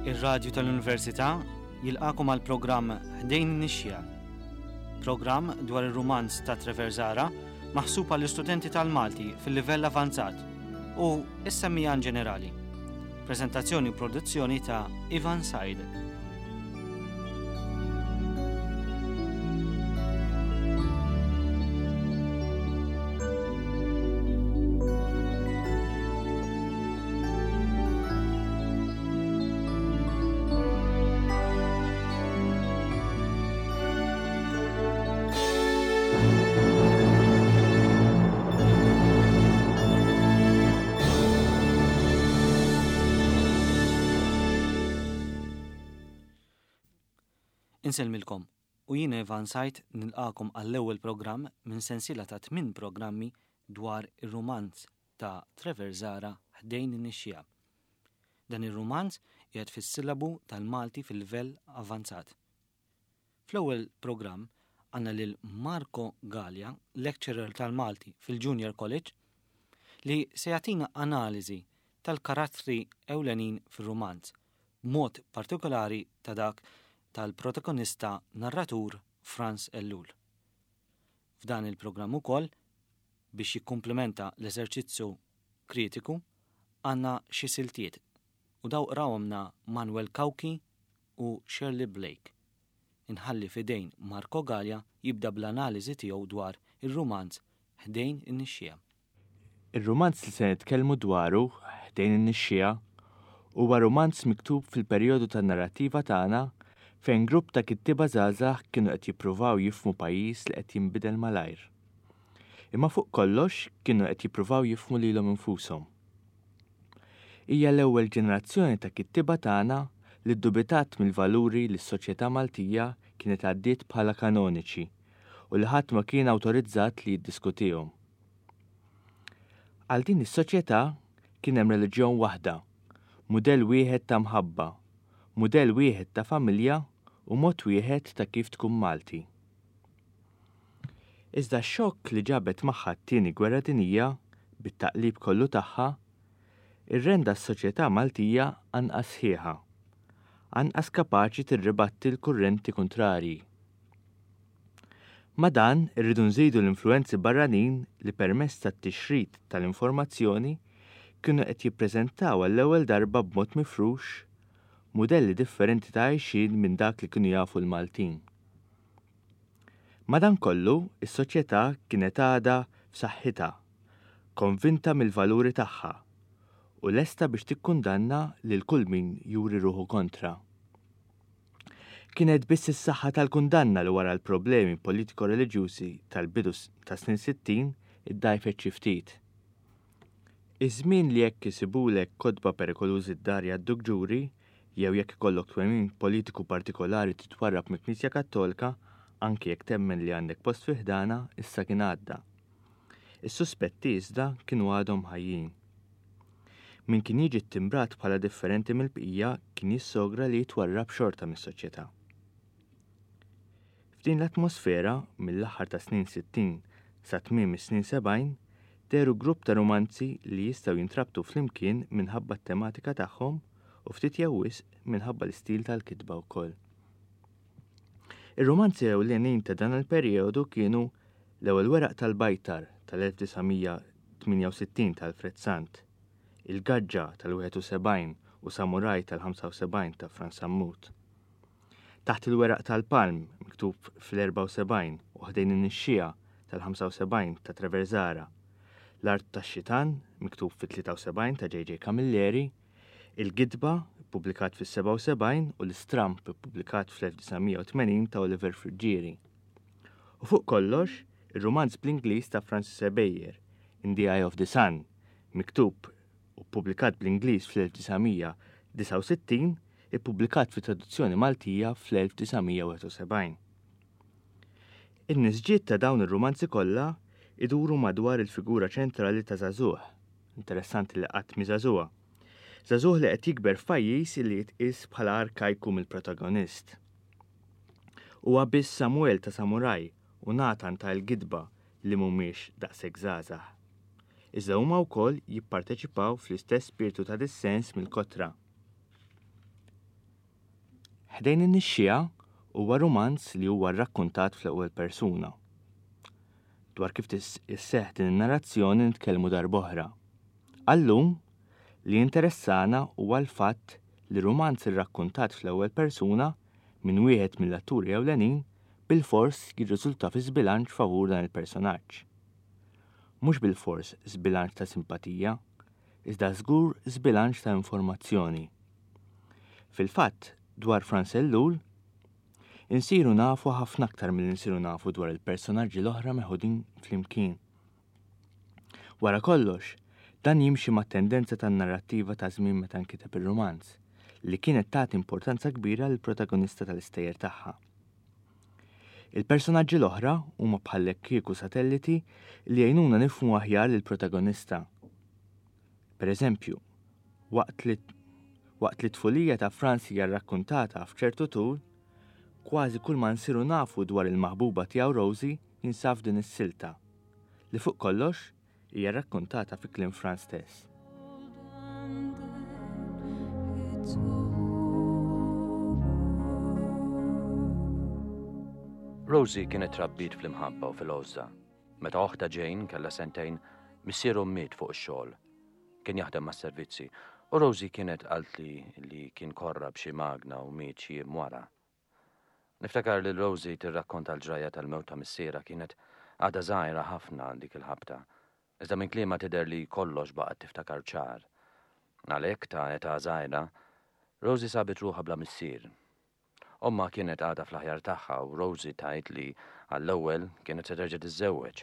Ir-Radju tal-Università jilqakom għal programm Ħdejn Nixja. Programm dwar ir-rumanz ta' Trevor Zara maħsub għall istudenti tal-Malti fil-livell avanzat u s-semmijan ġenerali. Prezentazzjoni u produzzjoni ta' Ivan Said. Insellmilkom u jiena Ivan Sajt nilqakom għall-ewwel programm minn sensiela ta' tmien programmi dwar ir-rumanz ta' Trevor Zahra Ħdejn in-Nixxiegħa. Dan ir-rumanz qiegħed fis-sillabu tal-Malti fil-livell avvanzat. Fl-ewwel programm għandna lil Marco Galea, lecturer tal-Malti fil-Junior College, li se jagħtina analiżi tal-karattri ewlenin fir-rumanz, b'mod partikolari ta' dak tal-protagonista narratur Frans Ellul. F'dan il-programm ukoll, biex jikkumplimenta l-eżerċizzju kritiku, għandna xi siltiet u daw qrawhomna Manuel Cauchi u Shirley Blake. Inħalli f'idejn Marco Galea jibda bl-analiżi tiegħu dwar ir-rumanz Ħdejn in-Nixxiegħa. Ir-rumanz li se nitkellmu dwaru, Ħdejn in-Nixxiegħa, huwa rumanz miktub fil-perjodu tan-narrattiva tagħna fejn grupp ta' kittieba żgħażagħ kienu qed jippruvaw jifhmu pajjiż li qed jinbidel malajr. Imma fuq kollox kienu qed jippruvaw jifhmu lilhom infushom. Hija l-ewwel ġenerazzjoni ta' kittieba tagħna li ddubitat mill-valuri li s-soċjetà Maltija kienet għaddiet bħala kanoniċi u li ħadd ma kien awtorizzat li jiddiskutihom. Għal din is-soċjetà kien hemm reliġjon waħda, mudell wieħed ta' mħabba, mudell wieħed ta' familja u mod wieħed ta' kif tkun Malti. Iżda x-xokk li ġabet magħha t-Tieni Gwerra Dinjija, bit-taqlib kollu tagħha, irrenda s-soċjetà Maltija anqas sħiħa, anqas kapaċi tirribatti l-kurrenti kuntrarji. Ma' dan irridu nżidu l-influwenzi barranin li permezz tat-tixrid tal-informazzjoni kienu qed jippreżentaw għall-ewwel darba b'mod mifrux mudelli differenti ta' għajxien minn dak li kienu jafu l-Maltin. Madankollu, is-soċjetà kienet għadha f'saħħitha, konvinta mill-valuri tagħha, u lesta biex tikkundanna lil kull min juri ruħu kontra. Kienet biss is-saħħa tal-kundanna li wara l-problemi politiko-reliġjużi tal-bidu tas-snin 60 iddgħajfet xi ftit. Iż-żmien li jekk isibulek kotba perikolużi d-dar jgħadduk ġuri, jew jekk ikollok twemmin politiku partikolari titwarrab mill-Knisja Kattolka, anki jekk temmen li għandek post fi ħdanha, issa kien għadda. Is-suspetti, iżda, kienu għadhom ħajjin. Min kien jiġi ttimbrat bħala differenti mill-bqija kien jissogra li jitwarrab xorta mis-soċjetà. F'din l-atmosfera, mill-aħħar tas-snin 60 sa tmiem is-snin 70, dehru grupp ta' rumanzi li jistgħu jintrabtu flimkien minħabba t-tematika tagħhom u ftit jew wisq minħabba l-istil tal-kitba wkoll. Ir-rumanzi ewlenin ta' dan il-perijodu kienu L-Ewwel Weraq tal-Bajtar tal-1968 ta' Alfred Sant, Il-Gaġġa tal-71 u Samuraj tal-75 ta' Frans Sammut. Taħt il-Weraq tal-Palm, miktub fl-74 u Ħdejn in-Nixxiegħa tal-75 ta' Trevor Zahra, L-Art tax-Xitan, miktub fit-73 ta' JJ Camilleri, Il-Gidba, ippubblikat fis-77 u L-Istramb, ippubblikat fl-1980 ta' Oliver Friggieri. U fuq kollox, ir-rumanz bl-Ingliż ta' Francis Ebejer, In the Eye of the Sun, miktub u ppubblikat bl-Ingliż fl-1969, ippubblikat fi traduzzjoni Maltija fl-1971. In-nisġiet ta' dawn ir-rumanzi kollha iduru madwar il-figura ċentrali ta' żagħżugħ, Interessanti li qatt mhi żagħżugħa. Żagħżugħ li qed jikber f'pajjiż li jitqies bħala arkajku mill-protagonist. Huwa biss Samuel ta' Samuraj u Nathan ta' Il-Gidba li mhumiex daqshekk żgħażagħ. Iżda huma wkoll jipparteċipaw fl-istess spirtu ta' dissens mill-kotra. Ħdejn in-Nixxiegħa huwa rumanz li huwa rrakkuntat fl-ewwel persuna. Dwar kif isseħħ din in-narrazzjoni nitkellmu darb'oħra. Għal-lum, li jinteressana huwa l-fatt li rumanz irrakkuntat fl-ewwel persuna minn wieħed mill-atturi ewlenin bilfors jirriżulta fi żbilanċ favur dan il-personaġġ. Mhux bilfors żbilanċ ta' simpatija, iżda żgur żbilanċ ta' informazzjoni. Fil-fatt, dwar Frans Ellul, insiru nafu ħafna aktar milli nsiru nafu dwar il-personaġġi l-oħra meħudin flimkien. Wara kollox, dan jimxi mat-tendenza tan-narrattiva ta' żmien meta nkiteb ir-rumanz, li kienet tagħti importanza kbira lill-protagonista tal-istejjer tagħha. Il-personaġġi l-oħra huma bħallekkieku satelliti li jgħinuna nifhmu aħjar lill-protagonista. Per eżempju, waqt li waqt li t-tfulija ta' Franz hija rrakkuntata f'ċertu tul, kważi kull ma nsiru nafu dwar il-maħbuba tiegħu Rosie jinsab f'din is-silta, li fuq kollox hija rrakkuntata fi kliem Franz stess. Rosie kienet trabbiet fl-imħabba u fil-għożża. Meta oħtha Jane kellha sentejn, missierhom miet fuq ix-xogħol. Kien jaħdem mas-servizzi u Rosie kienet qaltli li kien korra b'xi magna u miet xi jiem wara. Niftakar lil Rosie tirrakkonta l-ġrajja tal-mewt ta' missierha kienet għadha żgħira ħafna dik il-ħabta. Iżda minn kliemha tidher li kollox baqgħet tiftakar ċar. Għalhekk ta' età żgħira, Rosie sabet ruħha bla missier. Ommha kienet għadha fl-aħjar tagħha u Rosie tgħid li għall-ewwel kienet se terġa' tiżżewweġ,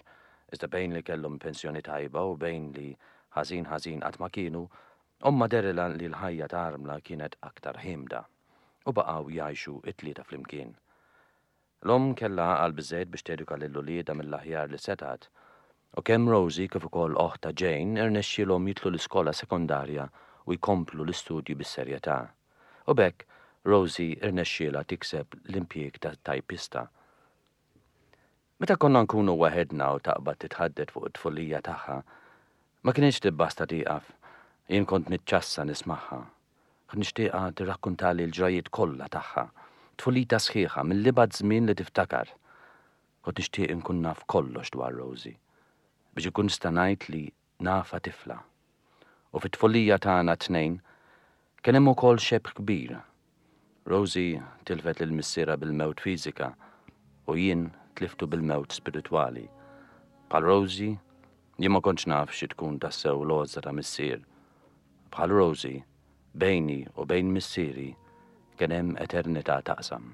iżda bejn li kellhom pensjoni tajba u bejn li ħażin ħażin qatt ma kienu, ommha dehrilha li l-ħajja ta' armla kienet aktar ħiemda u baqgħu jgħixu t-tlieta flimkien. L-omm kellha għaqal biżżejjed biex teduka lil uliedha mill-aħjar li setgħet, u kemm Rosie kif ukoll oħtha Jane irnexxielhom jidħlu l-iskola sekondarja u jkomplu l-istudji bis-serjetà. U b'hekk Rosie rnexxielha tikseb l-impjieg ta' tajpista. Meta konna nkunu waħedna u taqbad titħaddet fuq it-tfulija tagħha, ma kinitx tibbasta tieqaf. Jien kont niċċassa nismagħha. Kont nixtieqha tirrakkuntali l-ġrajjiet kollha tagħha, tfulitha sħiħa mill-ibgħad żmien li tiftakar. Kont nixtieq inkun naf kollox dwar Rosie, biex inkun nista' ngħid li nafha tifla. U fit-tfulija tagħna t-tnejn kien hemm ukoll xebh kbir. Rosie tilfet lil missierha bil-mewt fiżika u jien tliftu bil-mewt spiritwali. Bħal Rosie, jien ma kontx naf xi tkun tassew l-għożża ta' missier. Bħal Rosie, bejni u bejn missieri kien hemm eternità taqsam.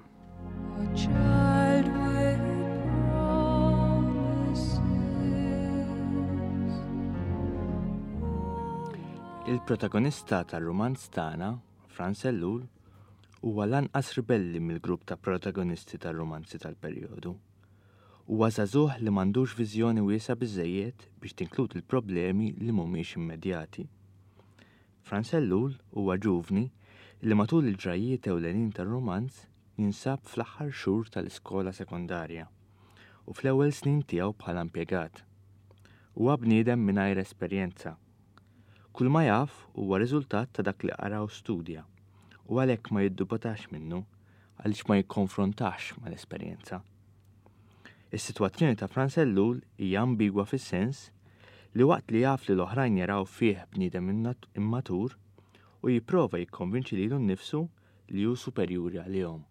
Il-protagonista tar-rumanz tagħna, Frans Ellul, huwa l-anqas ribelli mill-grupp ta' protagonisti tar-rumanzi tal-perjodu. Huwa żagħżugħ li m'għandux viżjoni wiesgħa biżżejjed biex tinkludi l-problemi li mhumiex immedjati. Frans Ellul huwa ġuvni li matul il-ġrajjiet ewlenin tar-rumanz jinsab fl-aħħar xhur tal-iskola sekondarja u fl-ewwel snin tiegħu bħala impjegat. Huwa bniedem mingħajr esperjenza. Kull ma jaf huwa riżultat ta' dak li qara u studja u għalhekk ma jiddubitax minnu għaliex ma jikkonfrontax mal-esperjenza. Is-sitwazzjoni ta' Frans Ellul hija ambigwa fis-sens li waqt li jaf li l-oħrajn jaraw fih bniedem immatur, hu jipprova jikkonvinċi lilu nnifsu li hu superjuri għalihom.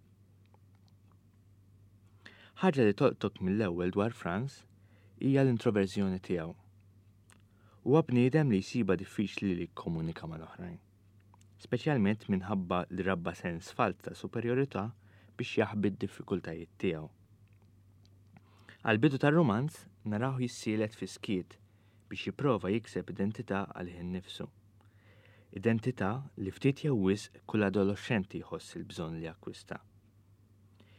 Ħaġa li tolqtok mill-ewwel dwar Frans hija l-introverżjoni tiegħu. Huwa bniedem li jsibha diffiċli li jikkomunika mal-oħrajn. Speċjalment minħabba li rabba sens falz ta' superjorità biex jaħbi d-diffikultajiet tiegħu. Għall-bidu tar-rumanz narawh jissielet fis-skiet biex jipprova jikseb identità għalih innifsu. Identità li ftit jew wisq kull adoloxxenti jħoss il-bżonn li jakkwista.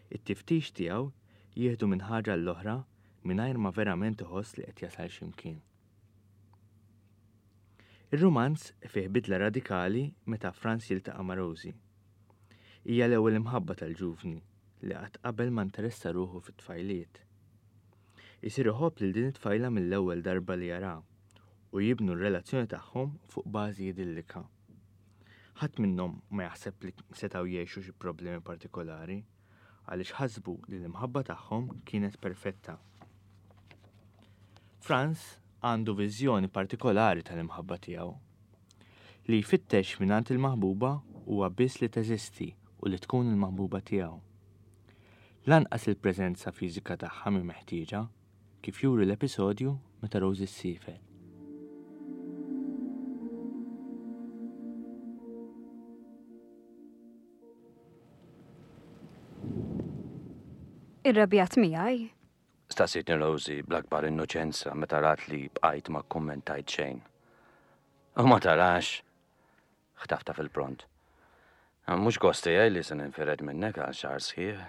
It-tiftix tiegħu jieħdu minn ħaġa għall-oħra mingħajr ma verament iħoss li qed jasal xi mkien. Ir-rumanz fih bidla radikali meta Frans jiltaqa' ma' Rosie. Hija l-ewwel imħabba tal-ġuvni li qatt qabel ma nteressa ruħu fit-tfajliet. Isir iħobb lil din it-tfajla mill-ewwel darba li jaraha u jibnu r-relazzjoni tagħhom fuq bażi idillika. Ħadd minnhom ma jaħseb li setgħu jgħixu xi problemi partikolari għaliex ħasbu li l-imħabba tagħhom kienet perfetta. Franz għandu viżjoni partikolari tal-imħabba tiegħu. Li jfittex mingħand il-maħbuba huwa biss li teżisti u li tkun il-maħbuba tiegħu. Lanqas il-preżenza fiżika tagħha mhi meħtieġa, kif juri l-episodju meta Rosie ssiefer. Irrabjat miegħi? Staqsietni Rosie bl-akbar innoċenza meta rat li bqajt ma kkummentajt xejn. U ma tarax! Ħtaftha fil-pront. Mhux gost tiegħi li se ninfired minnek għal xahar sħiħ,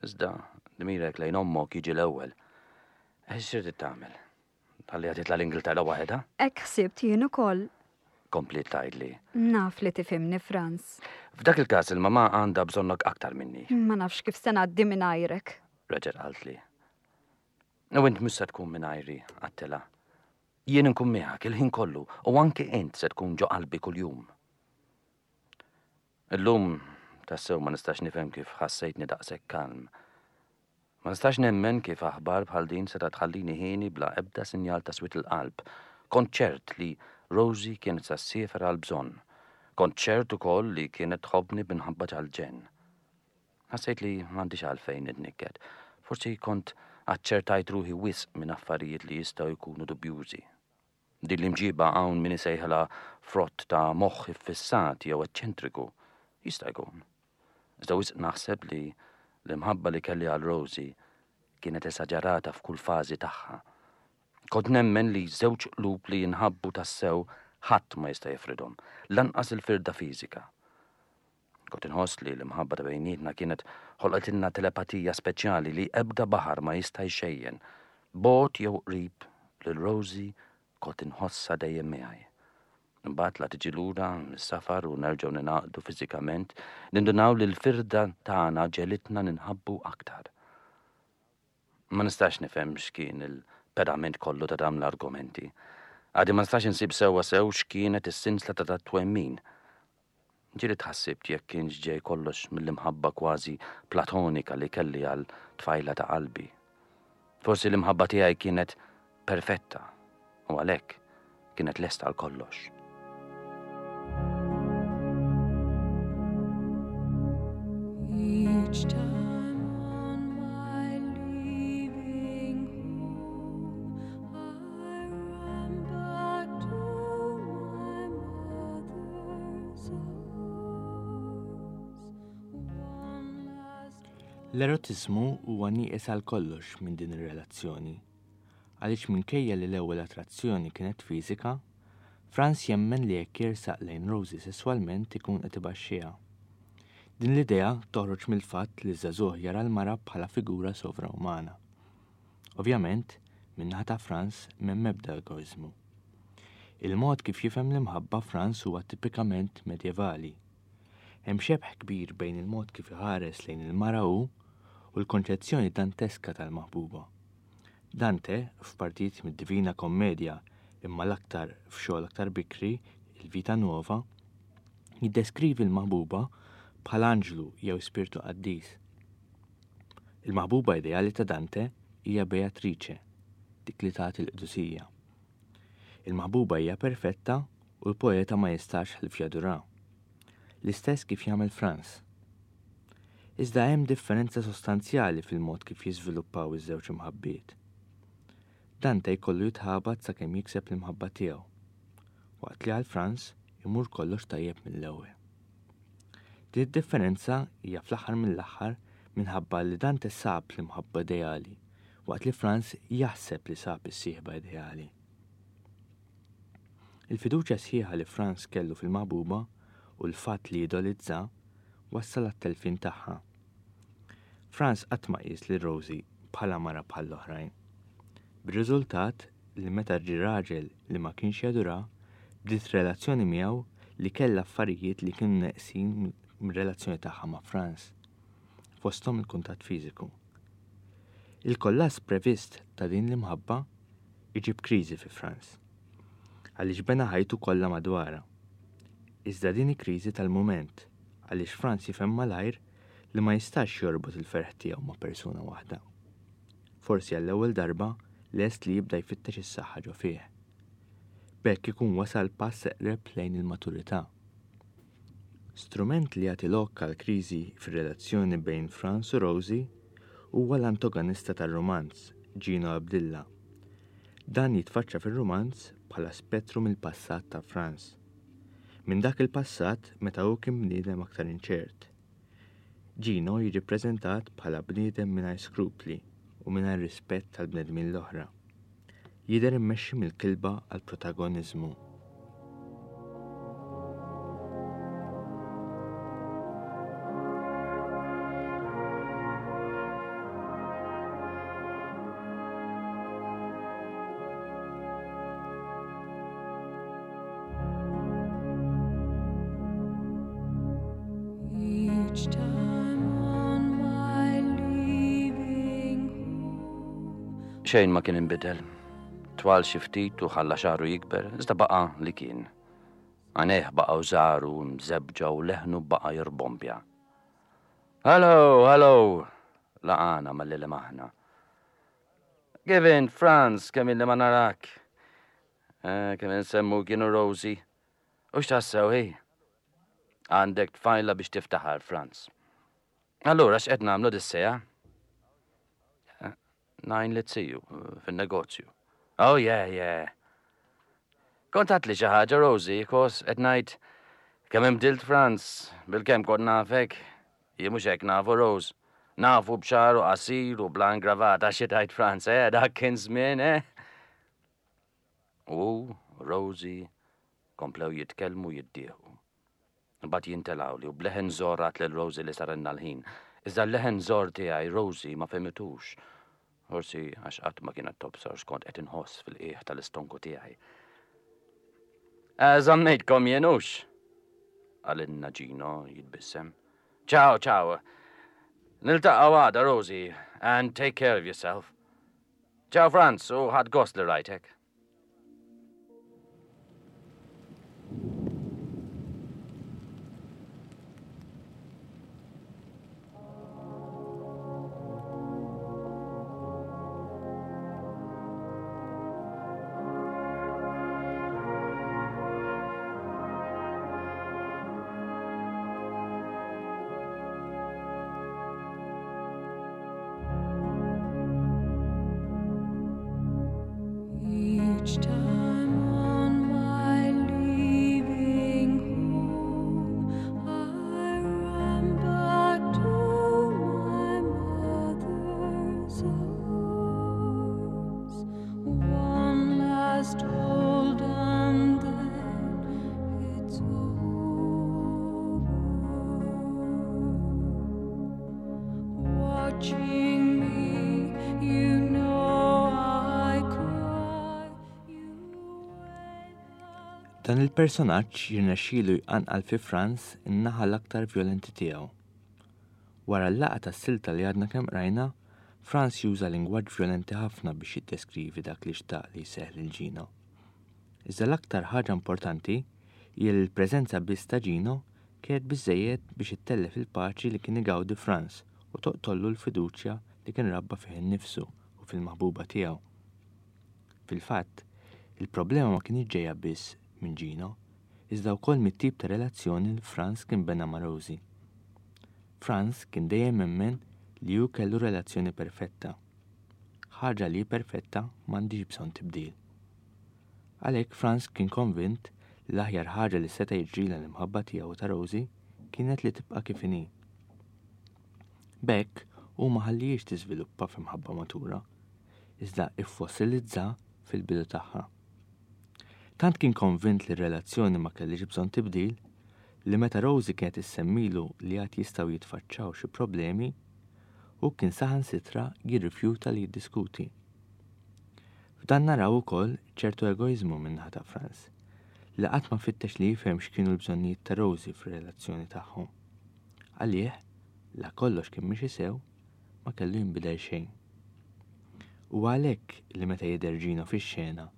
iżda dmirek lejn ommok jiġi l-ewwel. X'irrid tagħmel? Tħalliha titla' l-Ingilterra waħedha? Hekk ħsibt jien ukoll. Kompliet tgħidli. Naf li tifhimni, Franz. F'dak il-każ il-mamà għandha bżonnok aktar minni. Ma nafx kif se ngħaddi mingħajrek. Reġgħet qaltli. U int mhux se tkun mingħajri, għedtilha. Jien inkun miegħek il-ħin kollu u anke int se tkun ġo qalbi kuljum. Illum tassew ma nistax nifhem kif ħassejtni daqshekk kalm. Ma nistax nemmen kif aħbar bħal din setgħet tħallini hieni bla ebda sinjal ta' swied il-qalb. Kont ċert li Rosie kienet se ssiefer għall-bżonn. Kont ċert ukoll li kienet tħobbni b'imħabba tal-ġenn. Ħassejt li m'għandix għalfejn nitnikket. Forsi kont aċċertajt ruħi wisq minn affarijiet li jistgħu jkunu dubjużi. Din l-imġiba hawn min isejħilha frott ta' moħħ iffissat jew eċċentriku. Jista' jkun. Iżda wisq naħseb li l-imħabba li kelli għal Rosie kienet esaġerata f'kull fażi tagħha. Kont nemmen li żewġ qlub li jinħabbu tassew ħadd ma jista' jifridhom, lanqas il-firda fiżika. Kont inħoss li l-imħabba ta' bejnietna kienet ħolqotilna telepatija speċjali li ebda baħar ma jista' jxejjen. Bogħod jew qrib, lil Rosie kont inħossha dejjem miegħi. Imbagħad la tiġi lura mis-safar u nerġgħu ningħaqdu fiżikament, nindunaw li l-firda tagħna ġegħlitna ninħabbu aktar. Ma nistax nifhem x'kien il-pedament kollu ta' dawn l-argumenti. Għadi ma nistax insib sewwa sew x'kienet is-sinsla ta' dat-twemmin. Ġieli tħassibt jekk kienx ġej kollox mill-imħabba kważi platonika li kelli għal tfajla ta' qalbi. Forsi l-imħabba tiegħi kienet perfetta u għalhekk kienet lesta għal kollox. Each time on my leaving home, I run back to my mother's arms. One last L-erotiżmu huwa nieqes għal kollox minn din ir-relazzjoni. Għaliex minkejja li l-ewwel attrazzjoni kienet fiżika, Frans jemmen li jekk jersaq lejn Rosie sesswalment ikun qed ibaxxiha. Din l-idea toħroġ mill-fatt li ż-żagħżugħ jara l-mara bħala figura sovraumana. Ovvjament, min-naħa ta' Frans m'hemm ebda egoiżmu. Il-mod kif jifhem l-imħabba Frans huwa tipikament medjevali. Hemm xebh kbir bejn il-mod kif iħares lejn il-mara hu u l-konċezzjoni danteska tal-maħbuba. Dante, f'partijiet mid-Divina Commedia imma l-aktar f'xogħol aktar bikri, il-Vita Nuova, jiddeskrivi l-maħbuba bħala anġlu jew spirtu qaddis. Il-maħbuba ideali ta' Dante hija Beatrice, dik li tagħti l-qdusija. Il-maħbuba hija perfetta u l-poeta ma jistax ħlief jadurha. L-istess kif jagħmel Franz. Iżda hemm differenza sostanzjali fil-mod kif jiżviluppaw iż-żewġ imħabbiet. Dante jkollu jitħabat sakemm jikseb l-imħabba tiegħu, waqt li għal Franz imur kollox tajjeb mill-ewwel. Din id-differenza hija fl-aħħar mill-aħħar minħabba li Dante sab l-imħabba ideali, waqt li Franz jaħseb li sab is-sieħba ideali. Il-fiduċja sħiħa li Franz kellu fil-maħbuba u l-fatt li idolizza wassal għat-telfien tagħha. Franz qatt ma qies lil Rosie bħala mara bħall-oħrajn. Bir-riżultat li meta ġie raġel li ma kienx jadurha, bdiet relazzjoni miegħu li kellha affarijiet li kienu neqsin mir-relazzjoni tagħha ma' Franz, fosthom il-kuntatt fiżiku. Il-kollass previst ta' din l-imħabba iġib kriżi fi Franz. Għaliex bena ħajtu kollha madwarha. Iżda din hi kriżi tal-mument, għaliex Frans jifhem malajr li ma jistax jorbot il-ferħ tiegħu ma' persuna waħda. Forsi għall-ewwel darba lest li jibda jfittex is-saħħa ġo fih. B'hekk ikun wasal pass eqreb lejn il-maturità. Strument li jagħti lok għal kriżi fir-relazzjoni bejn Frans u Rosie huwa l-antoganista tar-rumanz, Gino Abdilla. Dan jitfaċċa fir-rumanz bħala spettru mill-passat ta' Frans. Minn dak il-passat meta hu kien bniedem aktar inċert. Gino jiġi ppreżentat bħala bniedem mingħajr skrupli u mingħajr rispett tal-bnedmin l-oħra. Jidher immexxi mill-kilba għall-protagoniżmu. Xejn ma kien inbidel. Twal xi ftit u ħalla xagħru jikber, iżda baqa' li kien. Għajnejh baqgħu żgħar u mżebbġa u leħnu baqa' jirbombja. Hello, hello! Laqagħna malli lemaħna. Kif int, Franz, kemm illi ma narak? Eh, kemm insemmu kienu Rosie. U x'tassew hi? Għandek tfajla biex tiftaħar, Franz. Allura x'qed nagħmlu dis-sejha? Eh, Najn li tsiju fin-negozju. Oh yeah, yeah. Kont għatli xi ħaġa Rosie, kos qed ngħid kemm imbdilt Franz, bil-kemm kont nafek. Jien mhux hekk nafu Rose. Nafu b'xagħru qasir u bla ingravata xi tgħid Franz, eh, dak kien żmien, eh? U hu, Rosie, komplew jitkellmu jiddieħqu. Imbagħad jien telgħuli u b'leħen żorr għadt lil Rosie li sarilna l-ħin. Iżda l-leħen żorr tiegħi Rosie ma fehmitux. Forsi għax qatt ma kienet tobsor x'kont qed inħoss fil-qiegħ tal-istonku tiegħi. Eh, żammejtkom jien hux? Qalilna Gino jitbissem. Ciao, ciao. Niltaqgħu għada, Rosie, and take care of yourself. Ciao Franz, u ħadt gost li rajtek. Each time on my leaving home, I run back to my mother's arms. One last hold and then it's over. Watching me, you know I cry. You Dan il-personaġġ jirnexxielu jqanqal fi Franz in-naħa l-aktar vjolenti tiegħu. Wara l-laqgħa tas-silta li għadna kemm qrajna, Franz juża lingwaġġ vjolenti ħafna biex jiddeskrivi dak li xtaq li jseħħ lil Gino. Iżda l-aktar ħaġa importanti hija li l-preżenza biss ta' Gino kienet biżżejjed biex ittellef il-paċi li kien igawdi Franz u toqtollu l-fiduċja li kien rabba fih innifsu u fil-maħbuba tiegħu. Fil-fatt, il-problema ma kinitx ġejja biss minn Gino, iżda wkoll mit-tip ta' relazzjoni li Franz kien bena ma' Rosie. Franz kien dejjem emmen li hu kellu relazzjoni perfetta. Ħaġa li hi perfetta m'għandhiex bżonn tibdil. Għalhekk Franz kien konvint li l-aħjar ħaġa li seta' jiġrilha l-imħabba tiegħu ta' Rosie kienet li tibqa' kif inhi. B'hekk hu ma ħallihiex tiżviluppa f'imħabba matura, iżda iffossilizza fil-bidu tagħha. Tant kien konvint li r-relazzjoni ma kellhiex bżonn tibdil, li meta Rosie kienet issemmilu li għad jistgħu jitfaċċaw xi problemi, hu kien saħansitra jirrifjuta li jiddiskuti. F'dan naraw ukoll ċertu egoiżmu min-naħa ta' Franz, li qatt ma fittex li jifhem x'kienu l-bżonnijiet ta' Rosie fir-relazzjoni tagħhom. Għalih, la kollox kien miexi sew, ma kellu jinbidel xejn. Huwa għalhekk li meta jidher Gino fix-xena,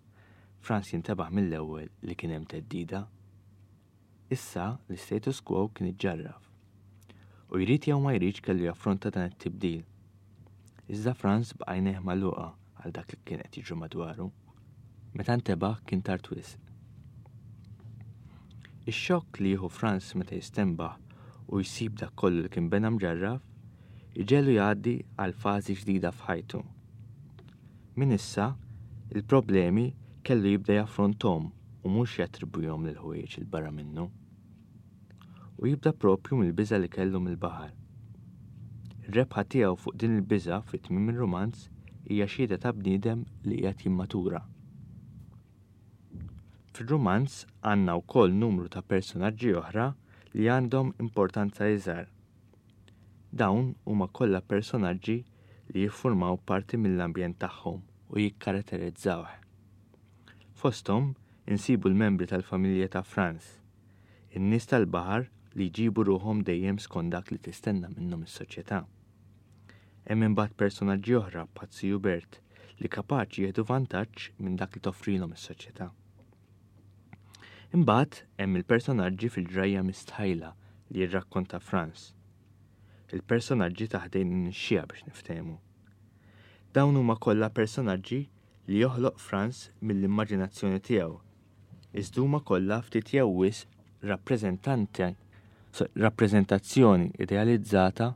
Frans jintebaħ mill-ewwel li kien hemm theddida. Issa l-istatus quo kien iġġarraf. U jrid jew ma jridx kellu jaffronta dan it-tibdil. Iżda Franz baqa' għajnejh magħluqa għal dak li kien qed jiġri madwaru. Meta ntebaħ kien tard wisq. Ix-xokk li jieħu Franz meta jistenbaħ u jsib dak kollu li kien bena mġarraf, iġegħlu jgħaddi għal fażi ġdida f'ħajtu. Minn issa, il-problemi kellu jibda jaffronthom u mhux jattribwihom lil ħwejjeġ 'il barra minnu. U jibda proprju mill-biża' li kellu mill-baħar. Ir-rebħa tiegħu fuq din il-biża' fi tmiem ir-rumanz hija xhieda ta' bniedem li qiegħed jimmatura. Fir-rumanz għandna wkoll numru ta' personaġġi oħra li għandhom importanza iżgħar. Dawn huma kollha personaġġi li jiffurmaw parti mill-ambjent tagħhom u jikkaratterizzawh. Fosthom insibu l-membri tal-familja ta' Franz, in-nies tal-baħar li jġibu ruħhom dejjem skont dak li tistenna minnhom is-soċjetà. Hemm imbagħad personaġġi oħra bħat-Ziju Bert li kapaċi jieħdu vantaġġ minn dak li toffrilhom is-soċjetà. Imbagħad hemm il-personaġġi fil-ġrajja mistħajla li jirrakkonta Franz. Il-personaġġi ta' ħdejn in-nixxiegħa biex niftehmu. Dawn huma kollha personaġġi li joħloq Franz mill-immaġinazzjoni tiegħu, iżda huma kollha ftit jew wisq rappreżentanti rappreżentazzjoni idealizzata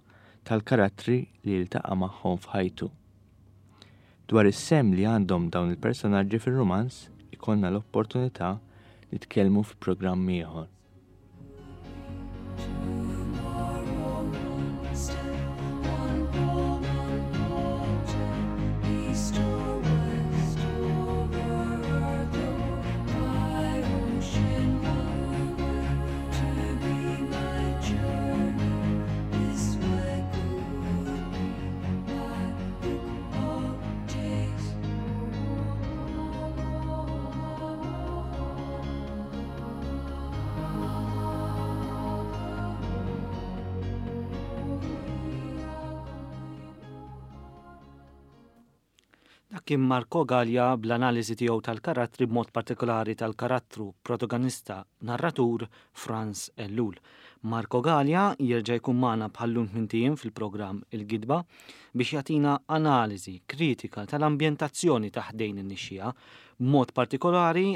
tal-karattri li jiltaqa' magħhom f'ħajtu. Dwar is-sehem li għandhom dawn il-personaġġi fir-rumanz ikollna l-opportunità nitkellmu fi programm ieħor. Dak kien Marco Gallia bl-analiżi tiegħu tal-karattri b'mod partikolari tal-karattru protagonista narratur Franz Ellul. Marco Gallia jerġa' jkun magħna bħal-lum tmint fil-programm Il-Gidba biex jagħtina analiżi kritika tal-ambjentazzjoni ta' ħdejn in-nixxiegħa b'mod partikolari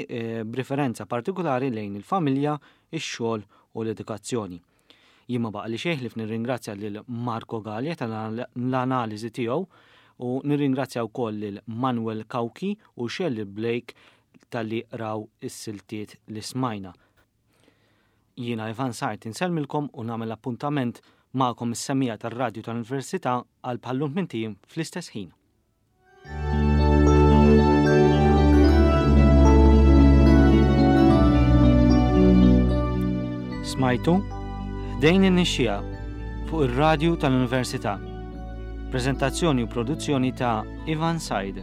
b'riferenza partikolari lejn il-familja, ix-xogħol u l-edukazzjoni. Jien ma baqali xejn ħlief nirringrazzja lil Marco Galea tal-analiżi tiegħu u nirringrazzja wkoll lil Manuel Cauchi u Shirley Blake talli qraw is-siltiet li smajna. Jiena Ivan Sart insellmilkom u nagħmel appuntament magħkom is-semmiegħa tar-Radju tal-Università għal bħal-lum tmint ijiem fl-istess ħin. Smajtu Ħdejn in-Nixxiegħa fuq ir-Radju tal-Università. Preżentazzjoni u produzzjoni ta' Ivan Said.